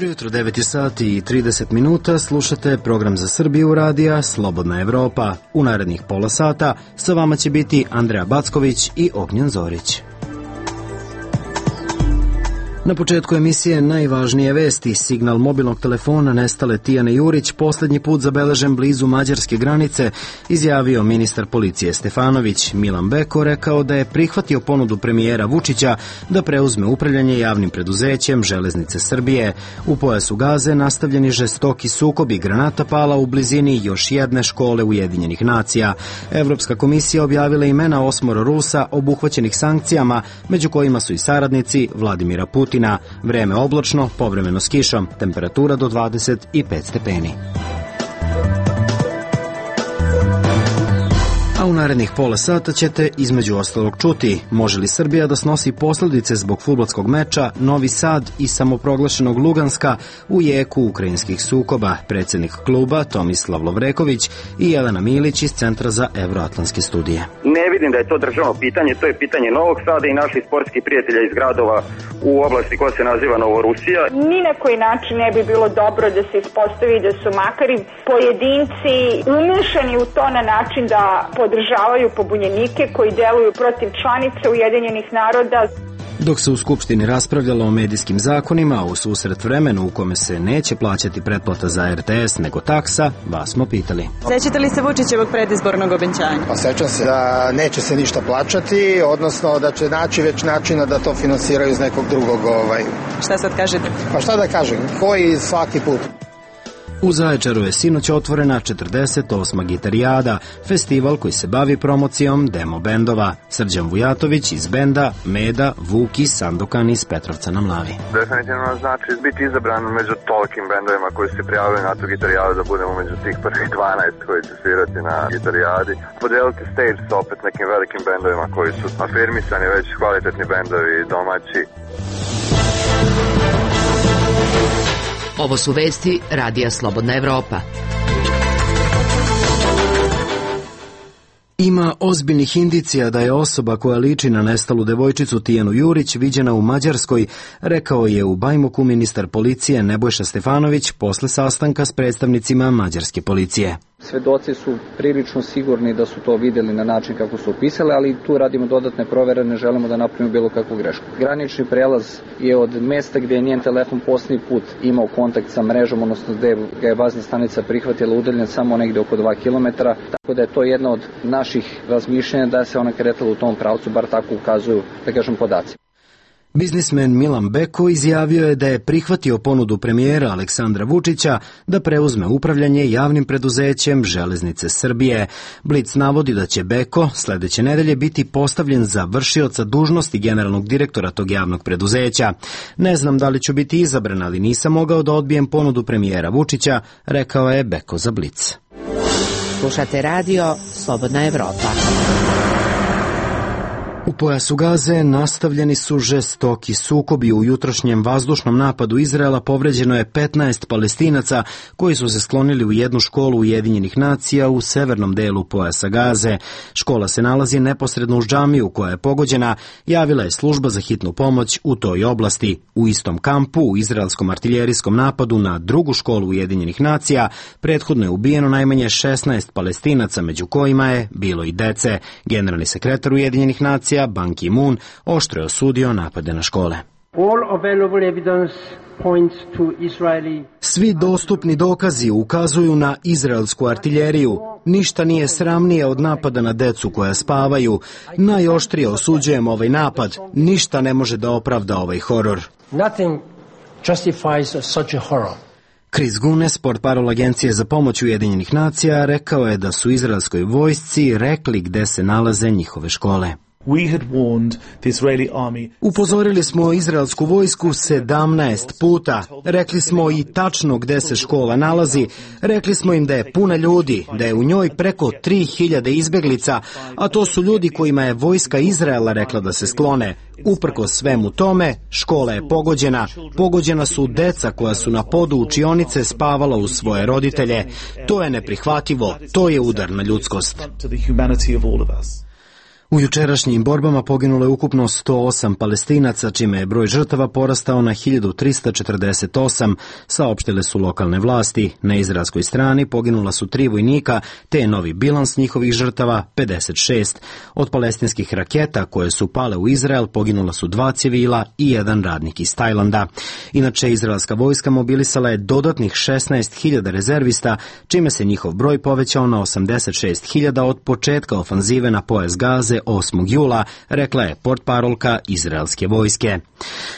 Dobro jutro, 9 sati i 30 minuta, slušate program za Srbiju radija Slobodna Evropa. U narednih pola sata sa vama će biti Andreja Backović i Ognjen Zorić. Na početku emisije najvažnije vesti. Signal mobilnog telefona nestale Tijane Jurić posljednji put zabeležen blizu mađarske granice, izjavio ministar policije Stefanović. Milan Beko rekao da je prihvatio ponudu premijera Vučića da preuzme upravljanje javnim preduzećem Železnice Srbije. U pojasu Gaze nastavljeni žestoki sukobi, granata pala u blizini još jedne škole Ujedinjenih nacija. Evropska komisija objavila imena 8 Rusa obuhvaćenih sankcijama, među kojima su i saradnici Vladimira Putina. Vreme oblačno, povremeno s kišom, temperatura do 25 stepeni. A u narednih pola sata ćete između ostalog čuti: može li Srbija da snosi posljedice zbog fudbalskog meča Novi Sad i samoproglašenog Luganska u jeku ukrajinskih sukoba, predsjednik kluba Tomislav Lovreković i Jelena Milić iz Centra za evroatlantske studije. Ne vidim da je to državno pitanje, to je pitanje Novog Sada i naših sportskih prijatelja iz gradova u oblasti koja se naziva Novorusija. Ni na koji način ne bi bilo dobro da se ispostavi da su makari pojedinci umešani u to na način da podržavaju pobunjenike koji deluju protiv članica Ujedinjenih naroda. Dok se u Skupštini raspravljalo o medijskim zakonima, u susret vremenu u kome se neće plaćati pretplata za RTS nego taksa, vas smo pitali. Sećate li se Vučićevog predizbornog obećanja? Pa sećam se da neće se ništa plaćati, odnosno da će naći već načina da to finansiraju iz nekog drugog. Šta sad kažete? Pa šta da kažem, koji svaki put. U Zaječaru je sinoć otvorena 48. Gitarijada, festival koji se bavi promocijom demo bendova. Srđan Vujatović iz benda Meda, Vuki, Sandokan iz Petrovca na Mlavi. Definitivno znači biti izabran među tolikim bendovima koji se prijavili na tu gitarijadu, da budemo među tih prvih 12 koji će svirati na gitarijadi. Podeliti stage sa opet nekim velikim bendovima koji su afirmisani, već kvalitetni bendovi domaći. Ovo su vesti Radija Slobodna Evropa. Ima ozbiljnih indicija da je osoba koja liči na nestalu devojčicu Tijanu Jurić viđena u Mađarskoj, rekao je u Bajmoku ministar policije Nebojša Stefanović posle sastanka s predstavnicima mađarske policije. Svedoci su prilično sigurni da su to vidjeli na način kako su opisali, ali tu radimo dodatne provere, ne želimo da napravimo bilo kakvu grešku. Granični prelaz je od mesta gdje je njen telefon posljednji put imao kontakt sa mrežom, odnosno gdje ga je bazna stanica prihvatila, udaljen samo negdje oko 2 km, tako da je to jedna od naših razmišljenja da se ona kretala u tom pravcu, bar tako ukazuju, da kažem, podaci. Biznismen Milan Beko izjavio je da je prihvatio ponudu premijera Aleksandra Vučića da preuzme upravljanje javnim preduzećem Železnice Srbije. Blic navodi da će Beko sljedeće nedelje biti postavljen za vršioca dužnosti generalnog direktora tog javnog preduzeća. Ne znam da li ću biti izabran, ali nisam mogao da odbijem ponudu premijera Vučića, rekao je Beko za Blic. Slušate radio Slobodna Evropa. U pojasu Gaze nastavljeni su žestoki sukobi. U jutrošnjem vazdušnom napadu Izraela povređeno je 15 Palestinaca koji su se sklonili u jednu školu Ujedinjenih nacija u severnom delu pojasa Gaze. Škola se nalazi neposredno uz džamiju koja je pogođena, javila je služba za hitnu pomoć u toj oblasti. U istom kampu, u izraelskom artiljerijskom napadu na drugu školu Ujedinjenih nacija, prethodno je ubijeno najmanje 16 Palestinaca, među kojima je bilo i dece. Generalni sekretar Ujedinjenih nacija Ban Ki-moon oštro je osudio napade na škole. Svi dostupni dokazi ukazuju na izraelsku artiljeriju. Ništa nije sramnije od napada na decu koja spavaju. Najoštrije osuđujem ovaj napad. Ništa ne može da opravda ovaj horor. Chris Gunes, portparol Agencije za pomoć Ujedinjenih nacija, rekao je da su izraelskoj vojsci rekli gde se nalaze njihove škole. Upozorili smo izraelsku vojsku 17 puta. Rekli smo i tačno gde se škola nalazi. Rekli smo im da je puna ljudi, da je u njoj preko 3000 izbeglica, a to su ljudi kojima je vojska Izraela rekla da se sklone. Uprkos svemu tome, škola je pogođena. Pogođena su deca koja su na podu učionice spavala uz svoje roditelje. To je neprihvatljivo. To je udar na ljudskost. U jučerašnjim borbama poginulo je ukupno 108 Palestinaca, čime je broj žrtava porastao na 1348, saopštile su lokalne vlasti. Na izraelskoj strani poginula su 3 vojnika, te je novi bilans njihovih žrtava 56. Od palestinskih raketa koje su pale u Izrael poginula su 2 civila i 1 radnik iz Tajlanda. Inače, izraelska vojska mobilisala je dodatnih 16.000 rezervista, čime se njihov broj povećao na 86.000 od početka ofanzive na pojas Gaze 8. jula, rekla je portparolka izraelske vojske.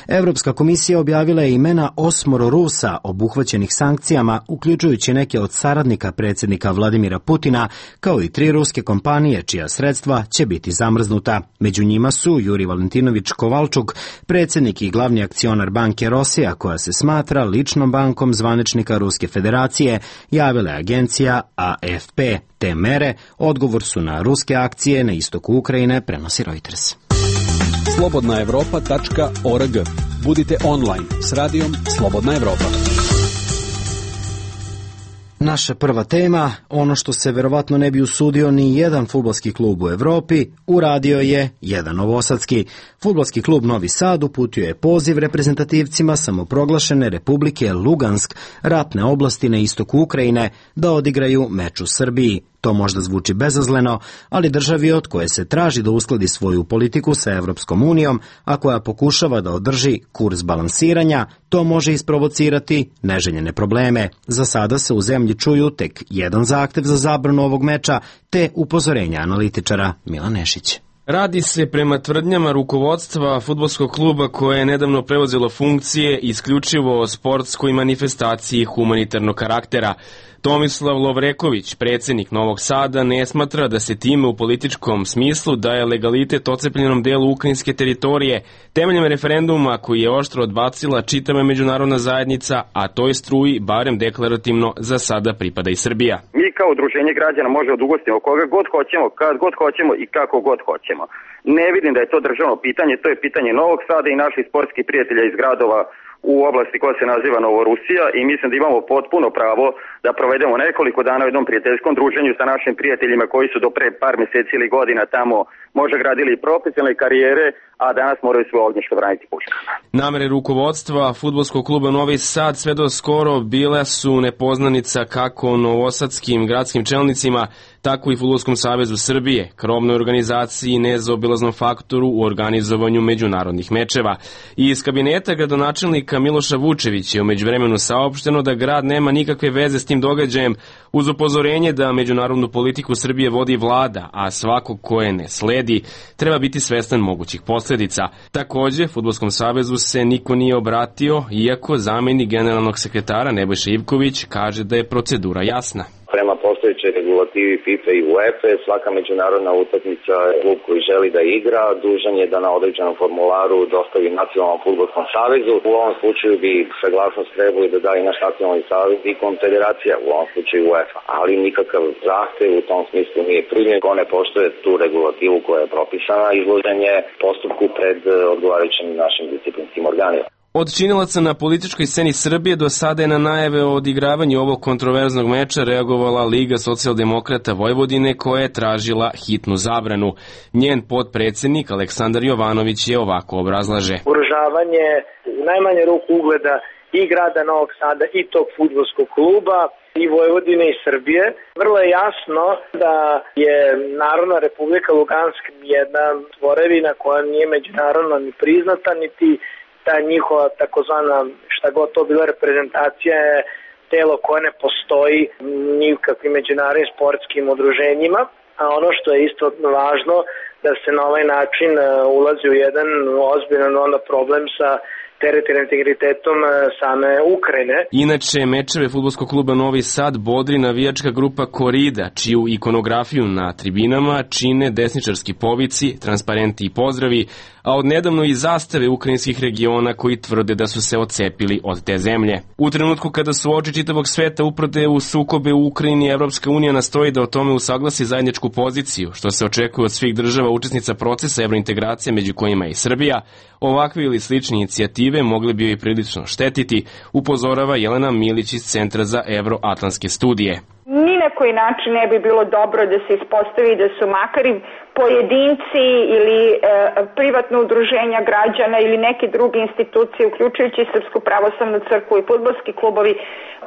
Evropska komisija objavila je imena 8 Rusa obuhvaćenih sankcijama, uključujući neke od saradnika predsjednika Vladimira Putina, kao i 3 ruske kompanije čija sredstva će biti zamrznuta. Među njima su Juri Valentinović Kovalčuk, predsjednik i glavni akcionar banke Rosija, koja se smatra ličnom bankom zvaničnika Ruske federacije, javila je agencija AFP. Te mere odgovor su na ruske akcije na istoku Ukrajine, prenosi Reuters. Slobodnaevropa.org. Budite online s radijom Slobodna Evropa. Naša prva tema, ono što se verovatno ne bi usudio ni jedan fudbalski klub u Evropi, uradio je jedan novosadski. Fudbalski klub Novi Sad uputio je poziv reprezentativcima samoproglašene Republike Lugansk, ratne oblasti na istoku Ukrajine, da odigraju meč u Srbiji. To možda zvuči bezazleno, ali državi od koje se traži da uskladi svoju politiku sa Evropskom unijom, a koja pokušava da održi kurs balansiranja, to može isprovocirati neželjene probleme. Za sada se u zemlji čuju tek jedan zahtev za zabranu ovog meča, te upozorenja analitičara. Milan Nešić. Radi se prema tvrdnjama rukovodstva fudbalskog kluba koje je nedavno preuzelo funkcije isključivo o sportskoj manifestaciji humanitarnog karaktera. Tomislav Lovreković, predsjednik Novog Sada, ne smatra da se time u političkom smislu daje legalitet ocepljenom delu ukrajinske teritorije temeljem referenduma koji je oštro odbacila čitava međunarodna zajednica, a toj struji barem deklarativno za sada pripada i Srbija. Mi kao udruženje građana možemo da ugostimo koga god hoćemo, kad god hoćemo i kako god hoćemo. Ne vidim da je to državno pitanje, to je pitanje Novog Sada i naših sportskih prijatelja iz gradova u oblasti koja se naziva Novorusija i mislim da imamo potpuno pravo da provedemo nekoliko dana u jednom prijateljskom druženju sa našim prijateljima koji su do pre par mjeseci ili godina tamo možda gradili profesionalne karijere, a danas moraju svoje ognjište braniti puškama. Namere rukovodstva fudbalskog kluba Novi Sad sve do skoro bile su nepoznanica kako novosadskim gradskim čelnicima, tako i Fudbalskom savezu Srbije, krovnoj organizaciji i nezaobilaznom faktoru u organizovanju međunarodnih mečeva. I iz kabineta gradonačelnika Miloša Vučevića je u međuvremenu saopšteno da grad nema nikakve veze s tim događajem, uz upozorenje da međunarodnu politiku Srbije vodi vlada, a svako ko je ne sledi treba biti svestan mogućih posljedica. Također, Fudbalskom savezu se niko nije obratio, iako zamjenik generalnog sekretara Nebojša Ivković kaže da je procedura jasna. Prema postojećoj regulativi FIFA i UEFA, svaka međunarodna utakmica, klub koji želi da igra, dužan je da na određenom formularu dostavi Nacionalnom fudbalskom savezu. U ovom slučaju bi saglasnost trebali da da i naš Nacionalni savez i konfederacija, u ovom slučaju UEFA. Ali nikakav zahtev u tom smislu nije primljen. Ko ne poštuje tu regulativu koja je propisana, izložen je postupku pred odgovarajućim našim disciplinskim organima. Od činilaca na političkoj sceni Srbije do sada je na najave o odigravanju ovog kontroverznog meča reagovala Liga socijaldemokrata Vojvodine koja je tražila hitnu zabranu. Njen potpredsjednik Aleksandar Jovanović je ovako obrazlaže. Ugrožavanje u najmanje ruku ugleda i grada Novog Sada i tog fudbalskog kluba i Vojvodine i Srbije. Vrlo je jasno da je Narodna republika Lugansk jedna tvorevina koja nije međunarodno ni priznata, niti ta njihova takozvana, šta god to bila reprezentacija, je telo koje ne postoji nikakvim međunarodnim sportskim udruženjima, a ono što je isto važno da se na ovaj način ulazi u jedan ozbiljan problem sa teritorijalnim integritetom same Ukrajine. Inače, mečeve fudbalskog kluba Novi Sad bodri navijačka grupa Korida, čiju ikonografiju na tribinama čine desničarski povici, transparenti i pozdravi, a odnedavno i zastave ukrajinskih regiona koji tvrde da su se odcepili od te zemlje. U trenutku kada su oči čitavog sveta uprte u sukobe u Ukrajini, Evropska unija nastoji da o tome usaglasi zajedničku poziciju, što se očekuje od svih država učesnica procesa evrointegracije, među kojima i Srbija. Ovakve ili slične inicijative mogli bi joj prilično štetiti, upozorava Jelena Milić iz Centra za evroatlantske studije. Ni na koji način ne bi bilo dobro da se ispostavi da su makar i pojedinci ili privatno udruženja građana ili neke druge institucije, uključujući Srpsku pravoslavnu crkvu i fudbalski klubovi,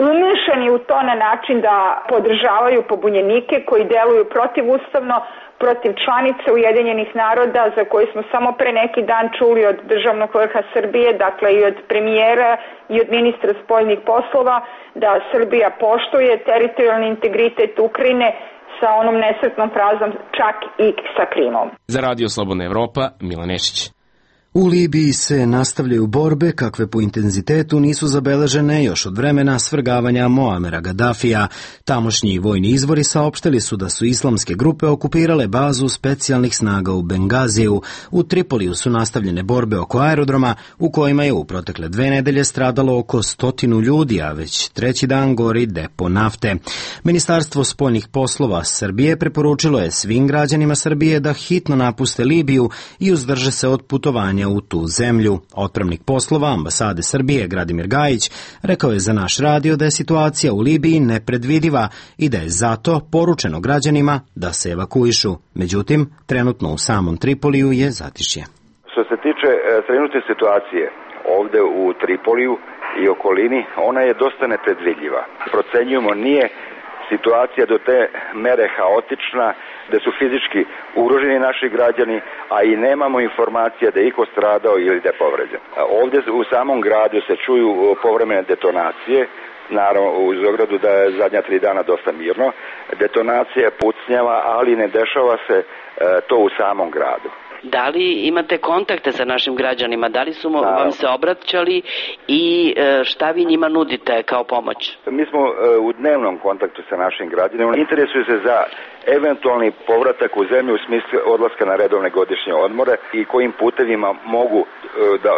umešani u to na način da podržavaju pobunjenike koji deluju protivustavno, protiv članice Ujedinjenih naroda, za koje smo samo pre neki dan čuli od državnog vrha Srbije, dakle i od premijera i od ministra spoljnih poslova, da Srbija poštuje teritorijalni integritet Ukrajine sa onom nesretnom frazom čak i sa Krimom. Za Radio Slobodna Evropa, Milan Nešić. U Libiji se nastavljaju borbe kakve po intenzitetu nisu zabeležene još od vremena svrgavanja Moamera Gaddafija. Tamošnji vojni izvori saopštili su da su islamske grupe okupirale bazu specijalnih snaga u Bengaziju. U Tripoliju su nastavljene borbe oko aerodroma u kojima je u protekle 2 nedelje stradalo oko 100 ljudi, a već 3. dan gori depo nafte. Ministarstvo spoljnih poslova Srbije preporučilo je svim građanima Srbije da hitno napuste Libiju i uzdrže se od putovanja u tu zemlju. Otpravnik poslova ambasade Srbije Gradimir Gajić rekao je za naš radio da je situacija u Libiji nepredvidiva i da je zato poručeno građanima da se evakuišu. Međutim, trenutno u samom Tripoliju je zatišje. Što se tiče trenutne situacije ovde u Tripoliju i okolini, ona je dosta nepredvidljiva. Procenjujemo, nije situacija do te mere haotična da su fizički ugroženi naši građani, a i nemamo informacija da je iko stradao ili da je povređen. Ovdje u samom gradu se čuju povremene detonacije, naravno u Zogradu da je zadnja 3 dana dosta mirno, detonacija pucnjava, ali ne dešava se to u samom gradu. Da li imate kontakte sa našim građanima? Da li su vam se obraćali i šta vi njima nudite kao pomoć? Mi smo u dnevnom kontaktu sa našim građanima. Interesuju se za eventualni povratak u zemlju u smislu odlaska na redovne godišnje odmore i kojim putevima mogu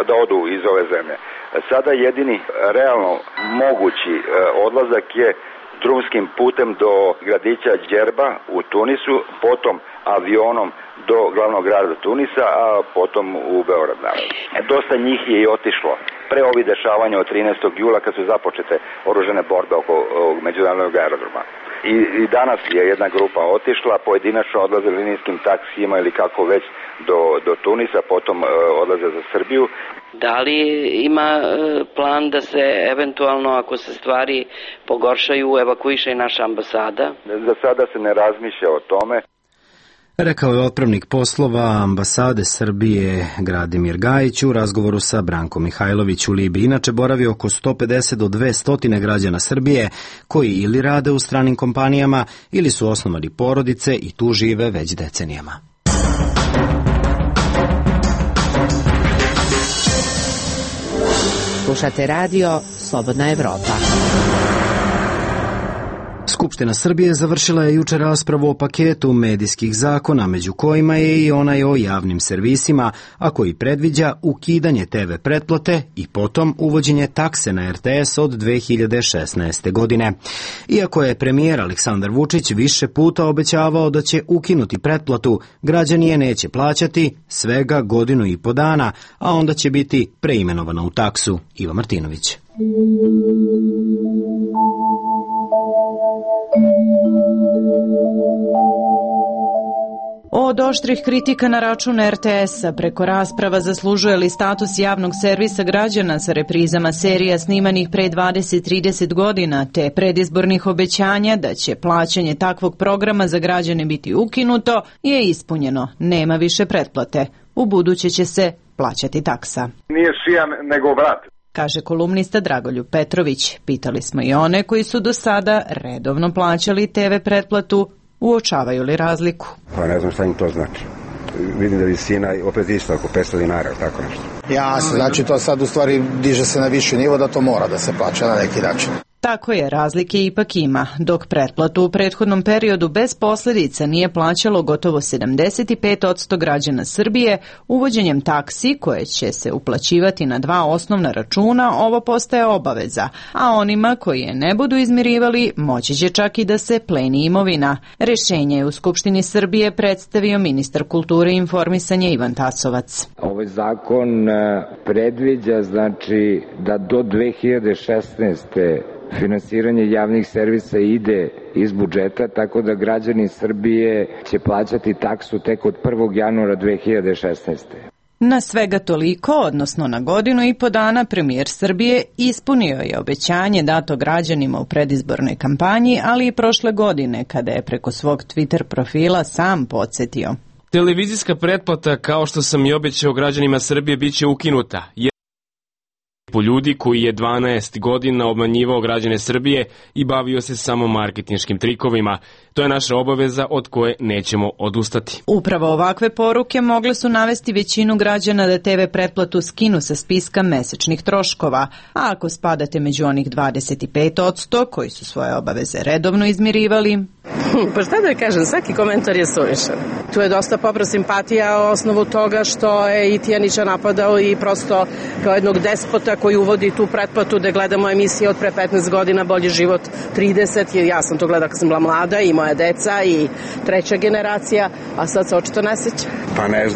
da odu iz ove zemlje. Sada jedini realno mogući odlazak je drumskim putem do gradića Djerba u Tunisu, potom avionom do glavnog grada Tunisa, a potom u Beograd. Dosta njih je i otišlo pre ovih dešavanja od 13. jula kad su započete oružane borbe oko međunarodnog aerodroma. I danas je jedna grupa otišla, pojedinačno odlaze linijskim taksijima ili kako već do Tunisa, potom odlaze za Srbiju. Da li ima plan da se eventualno, ako se stvari pogoršaju, evakuiše i naša ambasada? Za sada se ne razmišlja o tome. Rekao je otpravnik poslova ambasade Srbije Gradimir Gajić u razgovoru sa Brankom Mihajlović. U Libiji inače boravi oko 150 do 200 građana Srbije koji ili rade u stranim kompanijama ili su osnovali porodice i tu žive već decenijama. Slušate radio Slobodna Evropa. Skupština Srbije završila je juče raspravu o paketu medijskih zakona, među kojima je i onaj o javnim servisima, a koji predviđa ukidanje TV pretplate i potom uvođenje takse na RTS od 2016. godine. Iako je premijer Aleksandar Vučić više puta obećavao da će ukinuti pretplatu, građani je neće plaćati svega 1,5 godinu, a onda će biti preimenovana u taksu. Iva Martinović. Od oštrih kritika na račun RTS-a preko rasprava zaslužuje li status javnog servisa građana sa reprizama serija snimanih pre 20-30 godina, te predizbornih obećanja da će plaćanje takvog programa za građane biti ukinuto, je ispunjeno. Nema više pretplate. U buduće će se plaćati taksa. Nije šijan nego vrat, kaže kolumnista Dragoljub Petrović. Pitali smo i one koji su do sada redovno plaćali TV pretplatu, uočavaju li razliku? Pa ne znam šta im to znači. Vidim da visina opet isto oko 500 dinara ili tako nešto. Jasno, znači to sad u stvari diže se na viši nivo da to mora da se plaća na neki način. Tako je, razlike ipak ima. Dok pretplatu u prethodnom periodu bez posljedica nije plaćalo gotovo 75% građana Srbije, uvođenjem taksi koje će se uplaćivati na 2 osnovna računa, ovo postaje obaveza, a onima koji je ne budu izmirivali moći će čak i da se pleni imovina. Rješenje je u Skupštini Srbije predstavio ministar kulture i informisanja Ivan Tasovac. Ovaj zakon predviđa znači da do 2016. finansiranje javnih servisa ide iz budžeta, tako da građani Srbije će plaćati taksu tek od 1. januara 2016. Na svega toliko, odnosno na godinu i po dana, premijer Srbije ispunio je obećanje dato građanima u predizbornoj kampanji, ali i prošle godine, kada je preko svog Twitter profila sam podsjetio. Televizijska pretplata, kao što sam i obećao građanima Srbije, bit će ukinuta. Po ljudi koji je 12 godina obmanjivao građane Srbije i bavio se samo marketinškim trikovima. To je naša obaveza od koje nećemo odustati. Upravo ovakve poruke mogle su navesti većinu građana da TV pretplatu skinu sa spiska mesečnih troškova, a ako spadate među onih 25% koji su svoje obaveze redovno izmirivali... Pa šta da kažem, svaki komentar je suvišan. Tu je dosta popra simpatija o osnovu toga što je i Tijanića napadao i prosto kao jednog despota koji uvodi tu pretplatu da gledamo emisije od pre 15 godina, Bolji život 30, jer ja sam to gledala kad sam bila mlada i moja deca i treća generacija, a sad se očito ne seća. Pa ne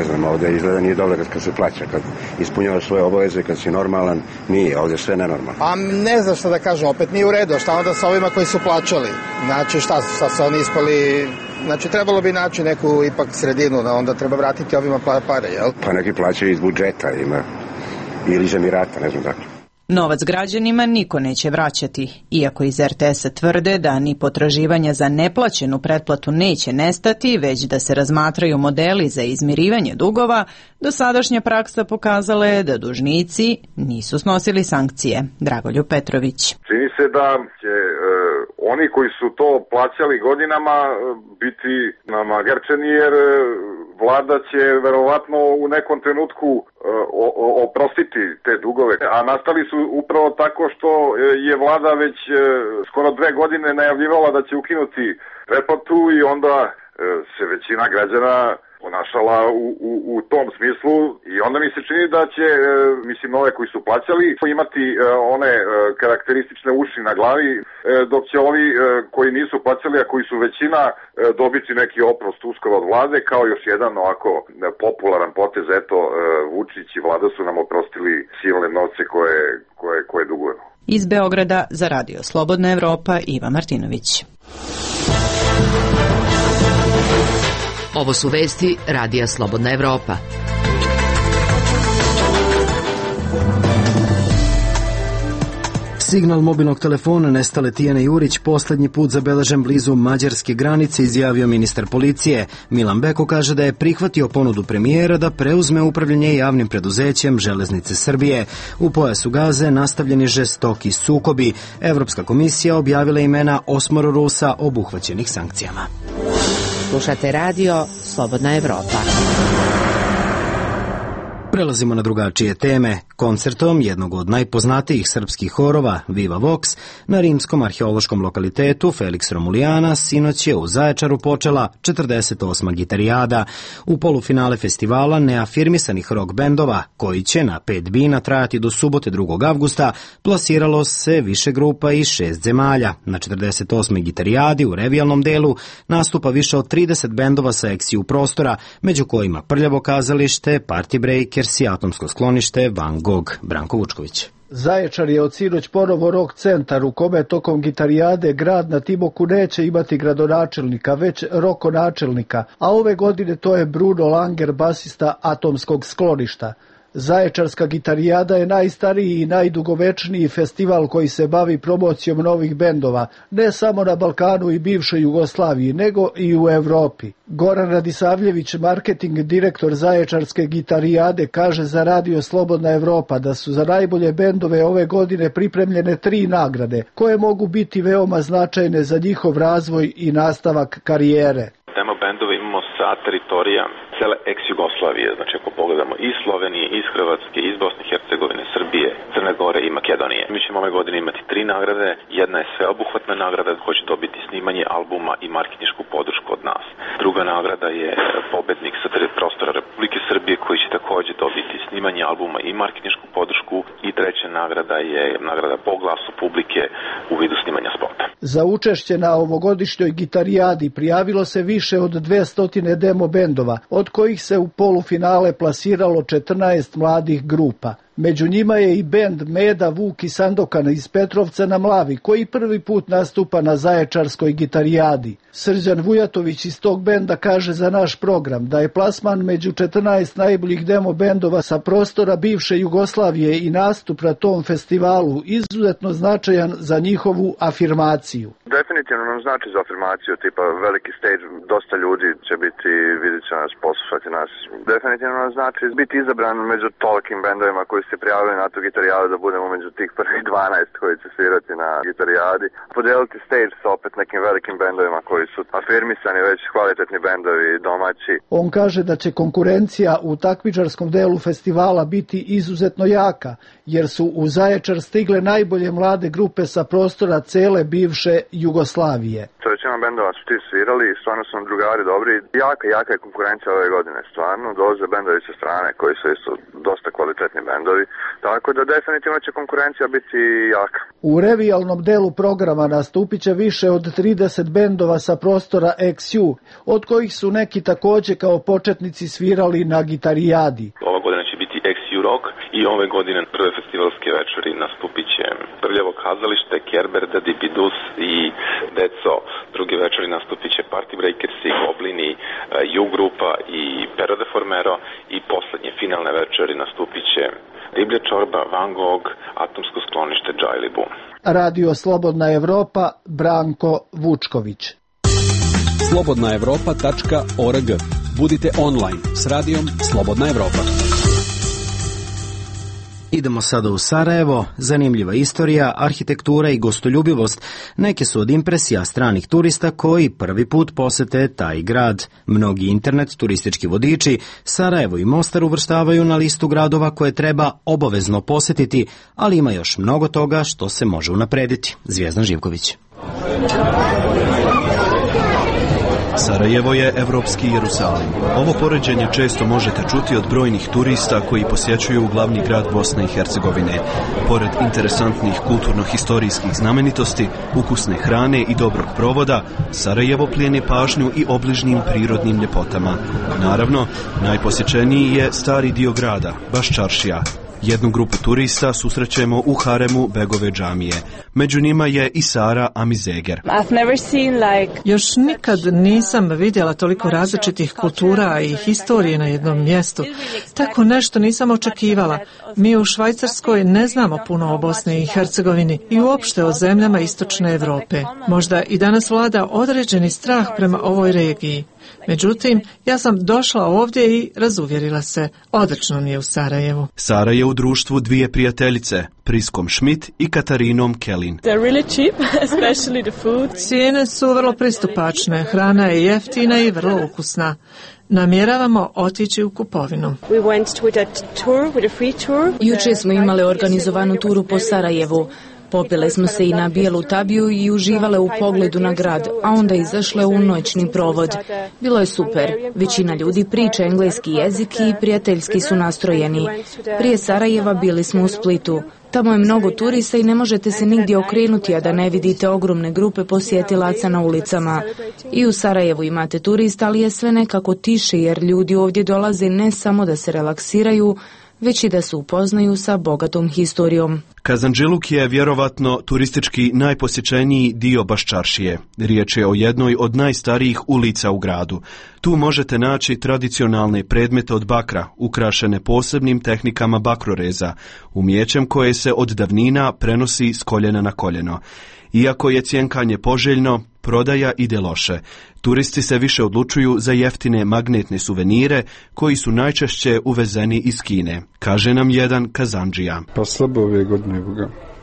znam, ovde izgleda nije dobro kad se plaća, kad ispunjavaš svoje obaveze, kad si normalan, nije, ovde sve nenormalno. Pa ne znam šta da kažem, opet nije u redu, šta onda sa ovima koji su plaćali? Znači šta su oni ispali, znači trebalo bi naći neku ipak sredinu, da onda treba vratiti ovima pare, jel? Pa neki plaćaju iz budžeta, ima, ili iz Emirata, ne znam dakle. Novac građanima niko neće vraćati, iako iz RTS-a tvrde da ni potraživanja za neplaćenu pretplatu neće nestati, već da se razmatraju modeli za izmirivanje dugova. Dosadašnja praksa pokazala je da dužnici nisu snosili sankcije. Dragoljub Petrović. Čini se da će oni koji su to plaćali godinama biti namagarčeni, jer vlada će verovatno u nekom trenutku oprostiti te dugove, a nastali su upravo tako što je vlada već skoro 2 godine najavljivala da će ukinuti pretplatu i onda se većina građana ponašala u tom smislu i onda mi se čini da će, ove koji su plaćali, imati one karakteristične uši na glavi, dok će ovi koji nisu plaćali, a koji su većina, dobiti neki oprost uskoro od vlade, kao još jedan ovako popularan potez, eto, Vučić i vlada su nam oprostili silne novce koje dugujemo. Iz Beograda za Radio Slobodna Evropa, Iva Martinović. Ovo su vesti Radija Slobodna Evropa. Signal mobilnog telefona nestale Tijane Jurić poslednji put zabeležen blizu mađarske granice, izjavio ministar policije. Milan Beko kaže da je prihvatio ponudu premijera da preuzme upravljanje javnim preduzećem Železnice Srbije. U pojasu Gaze nastavljeni žestoki sukobi. Evropska komisija objavila imena 8 Rusa obuhvaćenih sankcijama. Slušate radio Slobodna Evropa. Prelazimo na drugačije teme. Koncertom jednog od najpoznatijih srpskih horova, Viva Vox, na rimskom arheološkom lokalitetu Felix Romulijana sinoć je u Zaječaru počela 48. gitarijada. U polufinale festivala neafirmisanih rock bendova, koji će na 5 bina trajati do subote 2. avgusta, plasiralo se više grupa iz 6 zemalja. Na 48. gitarijadi u revijalnom delu nastupa više od 30 bendova sa eksiju prostora, među kojima Prljavo kazalište, Party Breakers i atomsko sklonište Van Gogh. Branko Vučković. Zaječar je od sinoć ponovo rock centar u kome tokom gitarijade grad na Timoku neće imati gradonačelnika, već rokonačelnika, a ove godine to je Bruno Langer, basista atomskog skloništa. Zaječarska gitarijada je najstariji i najdugovečniji festival koji se bavi promocijom novih bendova, ne samo na Balkanu i bivšoj Jugoslaviji, nego i u Evropi. Goran Radisavljević, marketing direktor Zaječarske gitarijade, kaže za Radio Slobodna Evropa da su za najbolje bendove ove godine pripremljene 3 nagrade, koje mogu biti veoma značajne za njihov razvoj i nastavak karijere. Demo bendove imamo sa teritorija cele ex-Jugoslavije, znači ako pogledamo iz Slovenije, iz Hrvatske, iz Bosne i Hercegovine, Srbije, Crne Gore i Makedonije. Mi ćemo ove godine imati 3 nagrade, jedna je sveobuhvatna nagrada koja će dobiti snimanje albuma i marketinšku podršku od nas. Druga nagrada je pobednik sa prostora Republike Srbije koji će takođe dobiti snimanje albuma i marketinšku podršku i treća nagrada je nagrada po glasu publike u vidu snimanja spota. Za učešće na ovogodišnjoj gitarijadi prijavilo se više od 200 demo bendova, od kojih se u polufinale plasiralo 14 mladih grupa. Među njima je i bend Meda, Vuk i Sandokan iz Petrovca na Mlavi, koji prvi put nastupa na Zaječarskoj gitarijadi. Srđan Vujatović iz tog benda kaže za naš program da je plasman među 14 najboljih demo bendova sa prostora bivše Jugoslavije i nastup na tom festivalu izuzetno značajan za njihovu afirmaciju. Definitivno nam znači za afirmaciju, tipa veliki stage, dosta ljudi će biti, vidjet će nas, poslušati nas. Definitivno nam znači biti izabran među tolikim bendovima koji se prijavili na tu gitarijadu, da budemo među tih prvih 12 koji će svirati na gitarijadi. Podeliti stage sa opet nekim velikim bendovima koji su afirmisani, već kvalitetni bendovi domaći. On kaže da će konkurencija u takmičarskom delu festivala biti izuzetno jaka, jer su u Zaječar stigle najbolje mlade grupe sa prostora cele bivše Jugoslavije. Većina bendova su ti svirali i stvarno su nam drugari dobri. Jaka je konkurencija ove godine, stvarno. Dolaze bendovi sa strane koji su isto dosta kvalitetni bendovi, tako da definitivno će konkurencija biti jaka. U revijalnom delu programa nastupit će više od 30 bendova sa prostora XU, od kojih su neki takođe kao početnici svirali na gitarijadi. Ova godina će biti XU Rock i ove godine prve festivalske večeri nastupit će Prljavo kazalište, Kerber, Dipidus i Deco. Druge večeri nastupit će Party Breakersi, Goblini, U grupa i Pero de Formero i poslednje finalne večeri nastupit će Riblja čorba, Van Gogh, Atomsko sklonište, Džajlibu. Radio Slobodna Evropa, Branko Vučković. slobodnaevropa.org. Budite online s radijom Slobodna Evropa. Idemo sada u Sarajevo. Zanimljiva istorija, arhitektura i gostoljubivost neke su od impresija stranih turista koji prvi put posete taj grad. Mnogi internet turistički vodiči Sarajevo i Mostar uvrštavaju na listu gradova koje treba obavezno posetiti, ali ima još mnogo toga što se može unaprediti. Zvijezdan Živković. Sarajevo je evropski Jerusalim. Ovo poređenje često možete čuti od brojnih turista koji posjećuju glavni grad Bosne i Hercegovine. Pored interesantnih kulturno-historijskih znamenitosti, ukusne hrane i dobrog provoda, Sarajevo plijeni pažnju i obližnjim prirodnim ljepotama. Naravno, najposjećeniji je stari dio grada, Baščaršija. Jednu grupu turista susrećemo u haremu Begove džamije. Među njima je i Sara Amizeger. Još nikad nisam vidjela toliko različitih kultura i historije na jednom mjestu. Tako nešto nisam očekivala. Mi u Švajcarskoj ne znamo puno o Bosni i Hercegovini i uopšte o zemljama istočne Evrope. Možda i danas vlada određeni strah prema ovoj regiji. Međutim, ja sam došla ovdje i razuvjerila se. Odlično mi je u Sarajevu. Sara je u društvu dvije prijateljice, Priskom Schmidt i Katarinom Kelin. Cijene su vrlo pristupačne, hrana je jeftina i vrlo ukusna. Namjeravamo otići u kupovinu. Jučer smo imali organizovanu turu po Sarajevu. Popile smo se i na bijelu tabiju i uživale u pogledu na grad, a onda izašle u noćni provod. Bilo je super. Većina ljudi priča engleski jezik i prijateljski su nastrojeni. Prije Sarajeva bili smo u Splitu. Tamo je mnogo turista i ne možete se nigdje okrenuti, a da ne vidite ogromne grupe posjetilaca na ulicama. I u Sarajevu imate turista, ali je sve nekako tiše jer ljudi ovdje dolaze ne samo da se relaksiraju, već i da se upoznaju sa bogatom historijom. Kazandžiluk je vjerovatno turistički najposjećeniji dio Baščaršije. Riječ je o jednoj od najstarijih ulica u gradu. Tu možete naći tradicionalne predmete od bakra, ukrašene posebnim tehnikama bakroreza, umijećem koje se od davnina prenosi s koljena na koljeno. Iako je cjenkanje poželjno, prodaja ide loše. Turisti se više odlučuju za jeftine magnetne suvenire koji su najčešće uvezeni iz Kine, kaže nam jedan Kazandžija. Pa slabo ove godine,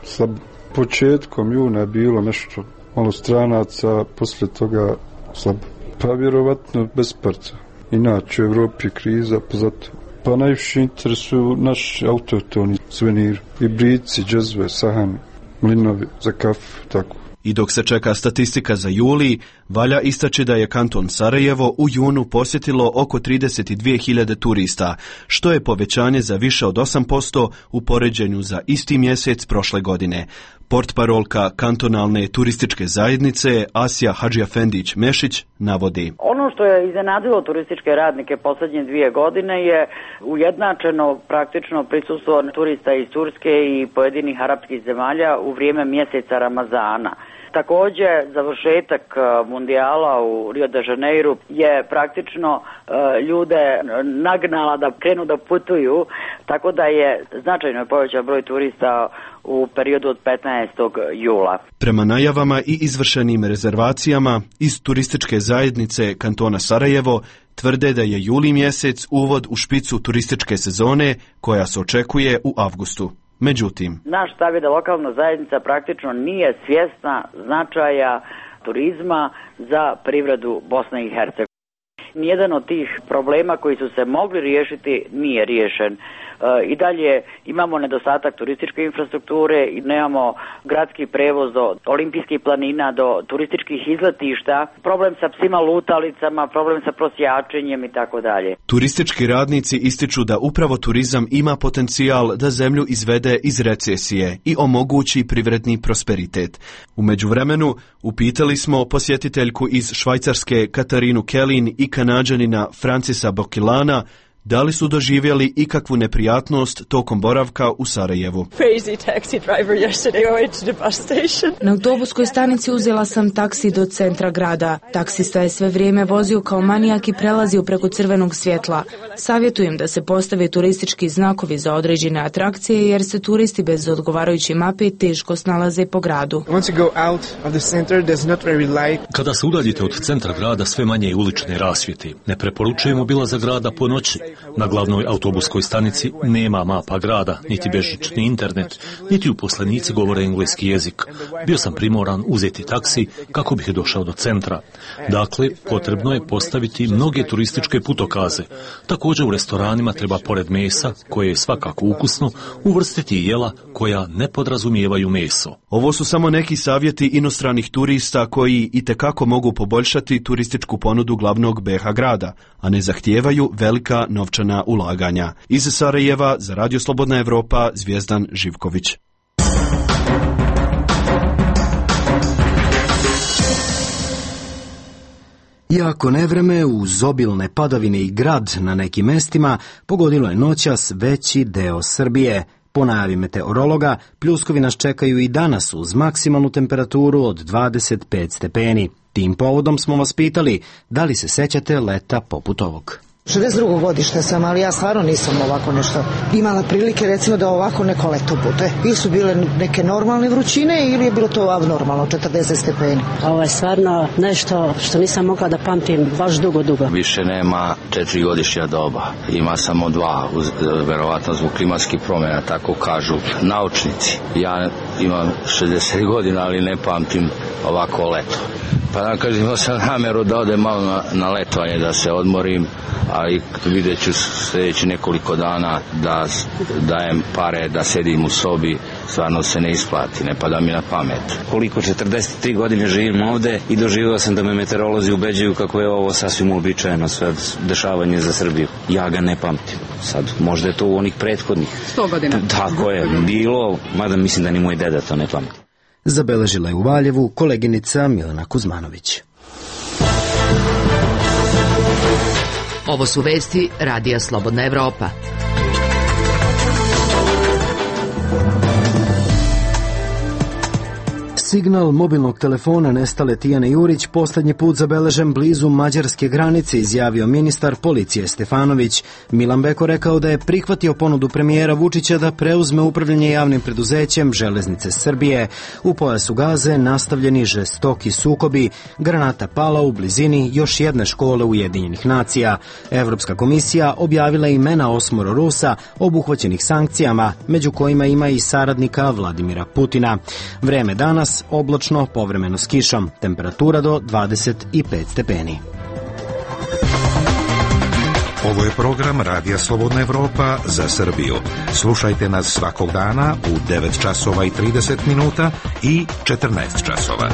slabo. Početkom juna je bilo nešto malo stranaca, poslije toga slabo. Pa vjerovatno bez parca. Inače u Evropi je kriza, pa zato. Pa najviše interesuju naši autohtoni suveniri, i brici, džezve, sahani, mlinovi za kafu, tako. I dok se čeka statistika za juli, valja istaći da je kanton Sarajevo u junu posjetilo oko 32.000 turista, što je povećanje za više od 8% u poređenju za isti mjesec prošle godine. Portparolka kantonalne turističke zajednice Asja Hadžiafendić-Mešić navodi. Ono što je iznenadilo turističke radnike poslednje 2 godine je ujednačeno praktično prisustvo turista iz Turske i pojedinih arapskih zemalja u vrijeme mjeseca Ramazana. Takođe, završetak mundijala u Rio de Janeiru je praktično ljude nagnala da krenu da putuju, tako da je značajno povećan broj turista u periodu od 15. jula. Prema najavama i izvršenim rezervacijama iz turističke zajednice kantona Sarajevo tvrde da je juli mjesec uvod u špicu turističke sezone koja se očekuje u avgustu. Međutim, naš stav je da lokalna zajednica praktično nije svjesna značaja turizma za privredu Bosne i Hercegovine. Nijedan od tih problema koji su se mogli riješiti nije riješen. I dalje imamo nedostatak turističke infrastrukture i nemamo gradski prevoz do olimpijskih planina, do turističkih izletišta, problem sa psima lutalicama, problem sa prosjačenjem i tako dalje. Turistički radnici ističu da upravo turizam ima potencijal da zemlju izvede iz recesije i omogući privredni prosperitet. U međuvremenu upitali smo posjetiteljku iz Švajcarske Katarinu Kelin i Kanađanina Francisa Bokilana da li su doživjeli ikakvu neprijatnost tokom boravka u Sarajevu. Na autobuskoj stanici uzela sam taksi do centra grada. Taksista je sve vrijeme vozio kao manijak i prelazio preko crvenog svjetla. Savjetujem da se postave turistički znakovi za određene atrakcije jer se turisti bez odgovarajuće mape teško snalaze po gradu. Kada se udaljite od centra grada sve manje je ulične rasvjete. Ne preporučujemo obilazak grada po noći. Na glavnoj autobuskoj stanici nema mapa grada, niti bežični internet, niti uposlenici govore engleski jezik. Bio sam primoran uzeti taksi kako bih došao do centra. Dakle, potrebno je postaviti mnoge turističke putokaze. Također u restoranima treba pored mesa, koje je svakako ukusno, uvrstiti jela koja ne podrazumijevaju meso. Ovo su samo neki savjeti inostranih turista koji itekako mogu poboljšati turističku ponudu glavnog BiH grada, a ne zahtijevaju velika novčana ulaganja. Iz Sarajeva za Radio Slobodna Evropa, Zvijezdan Živković. Jako nevreme uz obilne padavine i grad na nekim mestima pogodilo je noćas veći deo Srbije. Po najavi meteorologa, pljuskovi nas čekaju i danas uz maksimalnu temperaturu od 25 stepeni. Tim povodom smo vas pitali da li se sećate leta poput ovog. 62. godište sam, ali ja stvarno nisam ovako nešto imala prilike, recimo da ovako neko leto bude. Ili su bile neke normalne vrućine ili je bilo to abnormalno, 40 stepeni. Ovo je stvarno nešto što nisam mogla da pamtim baš dugo. Više nema 4 godišnja doba, ima samo 2, verovatno zbog klimatskih promjena, tako kažu naučnici. Ja imam 60 godina, ali ne pamtim ovako leto. Pa da kažem, imao sam namjeru da odem malo na letovanje, da se odmorim, ali vidjet ću sljedeći nekoliko dana da dajem pare, da sedim u sobi, stvarno se ne isplati, ne pada mi na pamet. Koliko 43 godine živim ovde i doživio sam da me meteorolozi ubeđuju kako je ovo sasvim uobičajeno sve dešavanje za Srbiju. Ja ga ne pamtim. Sad, možda je to u onih prethodnih 100 godina. Tako je, bilo, mada mislim da ni moj deda to ne pamti. Zabeležila je u Valjevu koleginica Milena Kuzmanović. Ovo su vesti Radija Slobodna Evropa. Signal mobilnog telefona nestale Tijane Jurić posljednji put zabeležen blizu mađarske granice, izjavio ministar policije Stefanović. Milan Beko rekao da je prihvatio ponudu premijera Vučića da preuzme upravljanje javnim preduzećem Železnice Srbije. U pojasu Gaze nastavljeni žestoki sukobi, granata pala u blizini još jedne škole Ujedinjenih nacija. Evropska komisija objavila imena 8 Rusa obuhvaćenih sankcijama, među kojima ima i saradnika Vladimira Putina. Vreme danas oblačno, povremeno s kišom, temperatura do 25 stepeni. Ovo je program Radija Slobodna Evropa za Srbiju. Slušajte nas svakog dana u 9 časova i 30 minuta i 14 časova.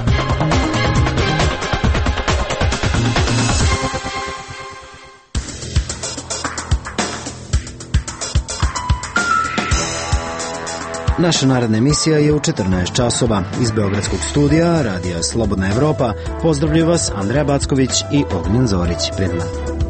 Naša naredna emisija je u 14 časova. Iz Beogradskog studija Radija Slobodna Evropa pozdravljaju vas Andreja Backović i Ognjen Zorić. Prijatno.